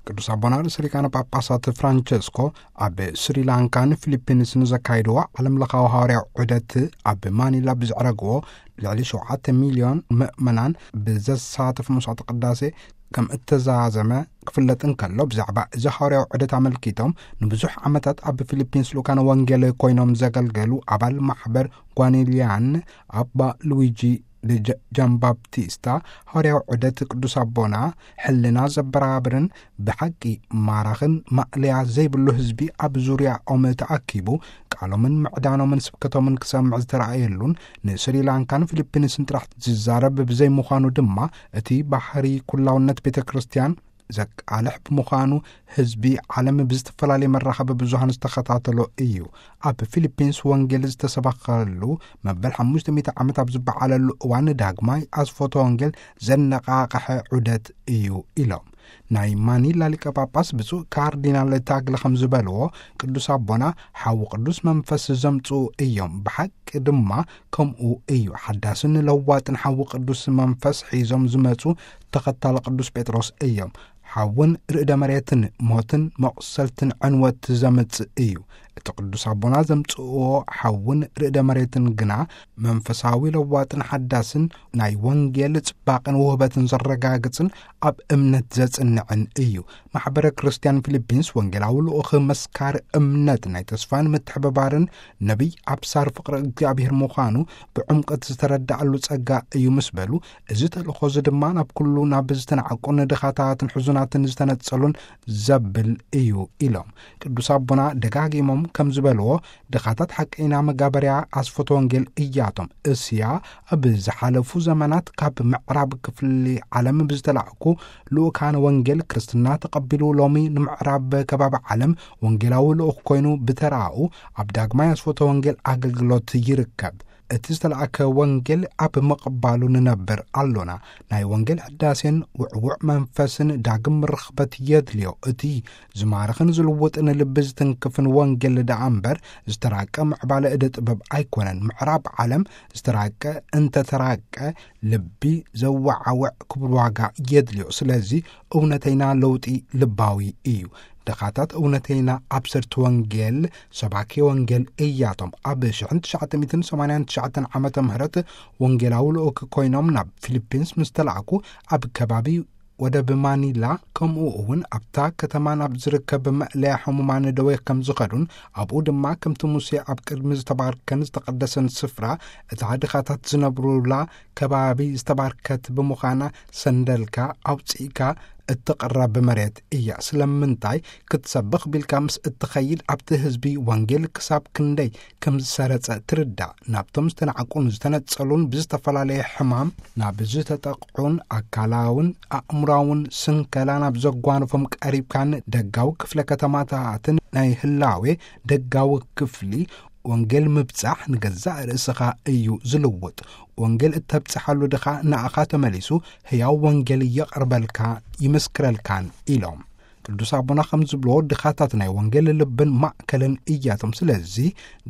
ቅዱስ ኣቦና ርእሰ ሊቃነ ጳጳሳት ፍራንቸስኮ ኣብ ስሪላንካን ፊሊፒንስን ዘካይድዎ ዓለም ለኻዊ ሃዋርያዊ ዑደት፣ ኣብ ማኒላ ብዝዕረግዎ ልዕሊ ሸውዓተ ሚልዮን ምእመናን ብዘሳተፍ መስዋዕተ ቅዳሴ ከም እተዛዘመ ክፍለጥ እንከሎ፣ ብዛዕባ እዚ ሃዋርያዊ ዑደት ኣመልኪቶም፣ ንብዙሕ ዓመታት ኣብ ፊሊፒንስ ልኡካነ ወንጌል ኮይኖም ዘገልገሉ ኣባል ማሕበር ጓኒልያን ኣባ ሉዊጂ ጃምባፕቲስታ፣ ሃዋርያዊ ዑደት ቅዱስ ኣቦና ሕልና ዘበራብርን ብሓቂ ማራኽን ማእለያ ዘይብሉ ህዝቢ ኣብ ዙርያኦም ተኣኪቡ ቃሎምን ምዕዳኖምን ስብከቶምን ክሰምዕ ዝተረኣየሉን፣ ንስሪላንካን ፊሊፒንስን ጥራሕ ዝዛረብ ብዘይምዃኑ ድማ፣ እቲ ባህሪ ኩላውነት ቤተ ክርስቲያን ዘቃልሕ ብምዃኑ፣ ህዝቢ ዓለም ብዝተፈላለየ መራኸቢ ብዙሃን ዝተኸታተሎ እዩ። ኣብ ፊሊፒንስ ወንጌል ዝተሰበኸሉ መበል ሓሙሽተ ሚእቲ ዓመት ኣብ ዝበዓለሉ እዋን፣ ዳግማይ ኣስፎቶ ወንጌል ዘነቓቕሐ ዑደት እዩ ኢሎም። ናይ ማኒላ ሊቀ ጳጳስ ብፁዕ ካርዲናል ታግለ ከም ዝበልዎ፣ ቅዱስ ኣቦና ሓዊ ቅዱስ መንፈስ ዘምጽኡ እዮም። ብሓቂ ድማ ከምኡ እዩ። ሓዳስን ለዋጥን ሓዊ ቅዱስ መንፈስ ሒዞም ዝመጹ ተኸታሊ ቅዱስ ጴጥሮስ እዮም። ሓውን ርእደ መሬትን ሞትን መቑሰልትን ዕንወት ዘምጽእ እዩ። እቲ ቅዱስ ኣቦና ዘምጽእዎ ሓውን ርእደ መሬትን ግና መንፈሳዊ ለዋጥን ሓዳስን፣ ናይ ወንጌል ጽባቕን ውህበትን ዘረጋግጽን ኣብ እምነት ዘጽንዕን እዩ። ማሕበረ ክርስቲያን ፊሊፒንስ ወንጌላዊ ልኡኽ መስካሪ እምነት፣ ናይ ተስፋን ምትሕብባርን ነቢይ ኣብሳር ፍቕሪ እግዚኣብሔር ምዃኑ ብዕምቀት ዝተረዳኣሉ ጸጋ እዩ ምስ በሉ፣ እዚ ተልእኾ እዚ ድማ ናብ ኩሉ፣ ናብ ዝተናዕቁን ድኻታትን ሕዙናትን ዝተነጸሉን ዘብል እዩ ኢሎም። ቅዱስ ኣቦና ደጋጊሞም ከም ዝበልዎ፣ ድኻታት ሓቀይና መጋበርያ ኣስፈቶ ወንጌል እያቶም። እስያ ኣብ ዝሓለፉ ዘመናት ካብ ምዕራብ ክፍሊ ዓለም ብዝተላእኩ ልኡካን ወንጌል፣ ክርስትና ተቐቢሉ ሎሚ ንምዕራብ ከባቢ ዓለም ወንጌላዊ ልኡኽ ኮይኑ ብተራኡ ኣብ ዳግማይ ኣስፈቶ ወንጌል ኣገልግሎት ይርከብ። እቲ ዝተላእከ ወንጌል ኣብ ምቕባሉ ንነብር ኣሎና። ናይ ወንጌል ሕዳሴን ውዕውዕ መንፈስን ዳግም ርኽበት የድልዮ። እቲ ዝማርኽን ዝልውጥን ልቢ ዝትንክፍን ወንጌል ደኣ እምበር፣ ዝተራቀ ምዕባለ እደ ጥበብ ኣይኮነን። ምዕራብ ዓለም ዝተራቀ እንተተራቀ፣ ልቢ ዘወዓውዕ ክቡር ዋጋ የድልዮ። ስለዚ እውነተይና ለውጢ ልባዊ እዩ። ድኻታት እውነተይና ኣብሰርቲ ወንጌል፣ ሰባኪ ወንጌል እያቶም። ኣብ ሽሕን ትሽዓተ ሚእትን ሰማንያን ትሽዓተን ዓመተ ምህረት ወንጌላዊ ልኡክ ኮይኖም ናብ ፊሊፒንስ ምስ ተላእኩ፣ ኣብ ከባቢ ወደብ ማኒላ፣ ከምኡ እውን ኣብታ ከተማ ናብ ዝርከብ መእለያ ሕሙማን ደዌ ከም ዝኸዱን፣ ኣብኡ ድማ ከምቲ ሙሴ ኣብ ቅድሚ ዝተባርከን ዝተቐደሰን ስፍራ፣ እታ ድኻታት ዝነብሩላ ከባቢ ዝተባርከት ብምዃና፣ ሰንደልካ ኣውጺእካ እትቕረብ መሬት እያ። ስለምንታይ ክትሰብኽ ቢልካ ምስ እትኸይድ፣ ኣብቲ ህዝቢ ወንጌል ክሳብ ክንደይ ከም ዝሰረጸ ትርዳእ። ናብቶም ዝተናዕቁን ዝተነጸሉን፣ ብዝተፈላለየ ሕማም ናብ ዝተጠቕዑን፣ ኣካላውን ኣእምራውን ስንከላ ናብ ዘጓንፎም ቀሪብካን፣ ደጋዊ ክፍለ ከተማታትን ናይ ህላዌ ደጋዊ ክፍሊ ወንጌል ምብጻሕ ንገዛእ ርእስኻ እዩ ዝልውጥ። ወንጌል እተብጽሓሉ ድኻ ንኣኻ ተመሊሱ ህያው ወንጌል የቕርበልካ፣ ይምስክረልካን ኢሎም። ቅዱስ ኣቦና ከም ዝብልዎ፣ ድኻታት ናይ ወንጌል ልብን ማእከልን እያቶም። ስለዚ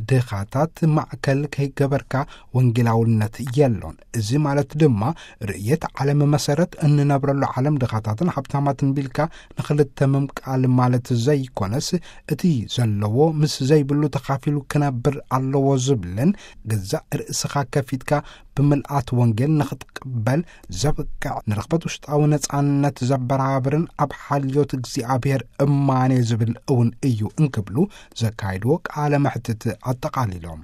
ድኻታት ማእከል ከይገበርካ ወንጌላውነት የሎን። እዚ ማለት ድማ ርእየት ዓለም መሰረት፣ እንነብረሉ ዓለም ድኻታትን ሃብታማትን ቢልካ ንኽልተ ምምቃል ማለት ዘይኮነስ፣ እቲ ዘለዎ ምስ ዘይብሉ ተኻፊሉ ክነብር ኣለዎ ዝብልን፣ ገዛእ ርእስኻ ከፊትካ ብምልኣት ወንጌል ንኽትቅበል ዘብቅዕ፣ ንረኽበት ውሽጣዊ ነጻነት ዘበራብርን ኣብ ሓልዮት እግዚኣብሔር እማኔ ዝብል እውን እዩ እንክብሉ ዘካይድዎ ቃለ መሕትት ኣጠቓሊሎም።